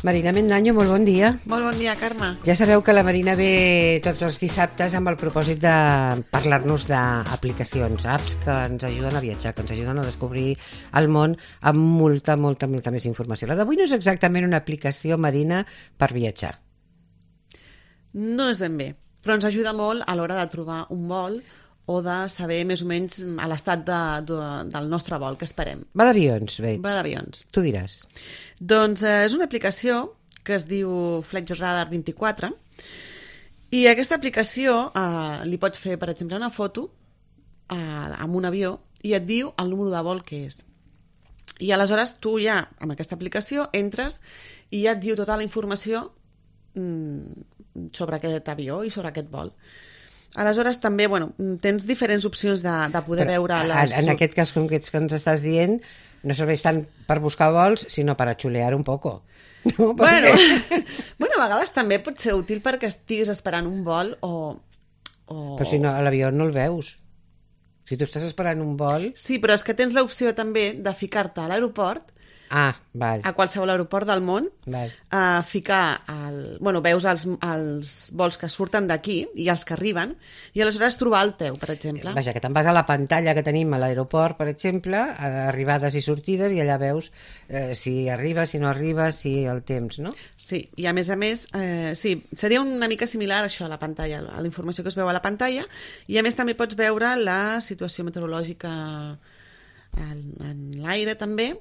Marina Mendaño, molt bon dia. Molt bon dia, Carme. Ja sabeu que la Marina ve tots els dissabtes amb el propòsit de parlar-nos d'aplicacions, apps que ens ajuden a viatjar, que ens ajuden a descobrir el món amb molta més informació. La d'avui no és exactament una aplicació, Marina, per viatjar. No és ben bé, però ens ajuda molt a l'hora de trobar un vol o de saber més o menys a l'estat del nostre vol que esperem. Va d'avions, veig. Va d'avions. Tu diràs. Doncs és una aplicació que es diu Flight Radar 24 i aquesta aplicació li pots fer, per exemple, una foto amb un avió i et diu el número de vol que és. I aleshores tu ja, amb aquesta aplicació, entres i ja et diu tota la informació sobre aquest avió i sobre aquest vol. Aleshores també, tens diferents opcions de poder veure les... En aquest cas concret que ens estàs dient, no serveix tant per buscar vols, sinó per a xulear un poco. No? Bueno, a vegades també pot ser útil perquè estiguis esperant un vol o... Però si no, a l'avió no el veus. Si tu estàs esperant un vol... Sí, però és que tens l'opció també de ficar-te a l'aeroport, val. a qualsevol aeroport del món, ficar... veus els vols que surten d'aquí i els que arriben, i aleshores trobar el teu, per exemple. Vaja, que te'n vas a la pantalla que tenim a l'aeroport, per exemple, arribades i sortides, i allà veus si arriba, si no arriba, si el temps, no? Sí, i a més, sí, seria una mica similar a això, a la pantalla, a la informació que es veu a la pantalla, i a més també pots veure la situació meteorològica en l'aire també,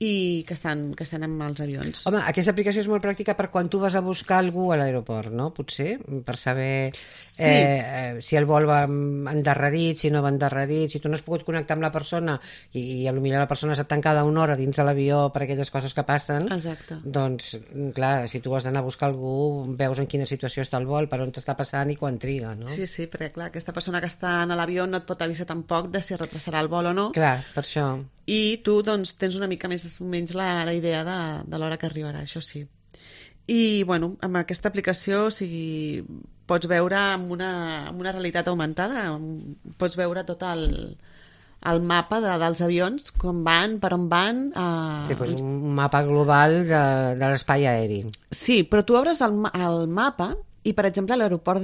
i que estan amb els avions. Home, aquesta aplicació és molt pràctica per quan tu vas a buscar algú a l'aeroport, no? Potser, per saber si el vol va endarrerit, si no va endarrerit, si tu no has pogut connectar amb la persona i potser la persona està tancada una hora dins de l'avió per aquelles coses que passen. Exacte. Doncs, clar, si tu has d'anar a buscar algú, veus en quina situació està el vol, per on t'està passant i quan triga, no? Sí, perquè, clar, aquesta persona que està en l'avió no et pot avisar tampoc de si retrasarà el vol o no. Clar, per això. I tu, doncs, tens una mica més o menys la idea de l'hora que arribarà, això sí. I, amb aquesta aplicació, pots veure amb una realitat augmentada, pots veure tot el mapa dels avions, com van, per on van... Sí, doncs un mapa global de l'espai aeri. Sí, però tu obres el mapa i, per exemple, a l'aeroport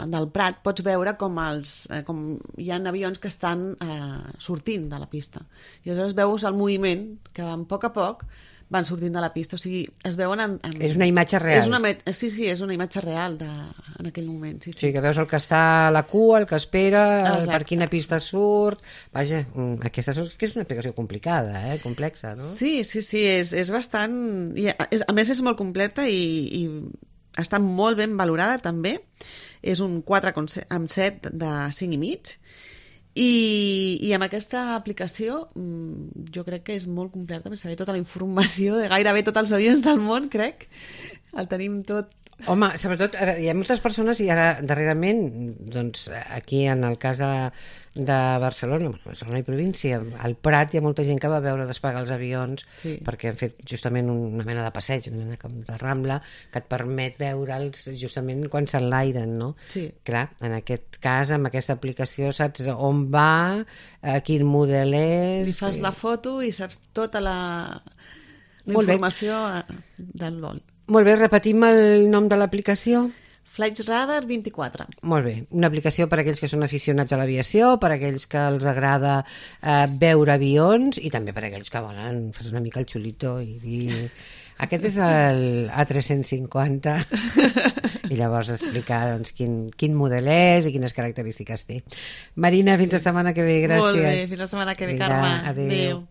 del Prat pots veure com hi ha avions que estan sortint de la pista. I aleshores veus el moviment que van a poc van sortint de la pista. O sigui, es veuen... És una imatge real. Sí, és una imatge real en aquell moment. Sí, que veus el que està a la cua, el que espera, per quina pista surt... Vaja, aquesta és una aplicació complicada, complexa, no? Sí, és bastant... A més, és molt completa i està molt ben valorada també, és un 4,7 de 5,5 i amb aquesta aplicació jo crec que és molt completa per saber tota la informació de gairebé tots els avions del món, crec. El tenim tot. Home, sobretot, hi ha moltes persones i ara darrerament, doncs aquí en el cas de Barcelona i província, al Prat hi ha molta gent que va veure despegar els avions perquè han fet justament una mena de passeig, una mena de rambla que et permet veure'ls justament quan s'enlairen, no? Sí. Clar, en aquest cas, amb aquesta aplicació saps on va, quin model és... Li fas la foto i saps tota la informació del vol. Molt bé, repetim el nom de l'aplicació. Flight Radar 24. Molt bé, una aplicació per a aquells que són aficionats a l'aviació, per a aquells que els agrada veure avions i també per a aquells que volen fer una mica el xulito i dir... Aquest és el A350 i llavors explicar doncs, quin model és i quines característiques té. Marina, fins la setmana que ve, gràcies. Molt bé, fins la setmana que ve, Carme. Adéu.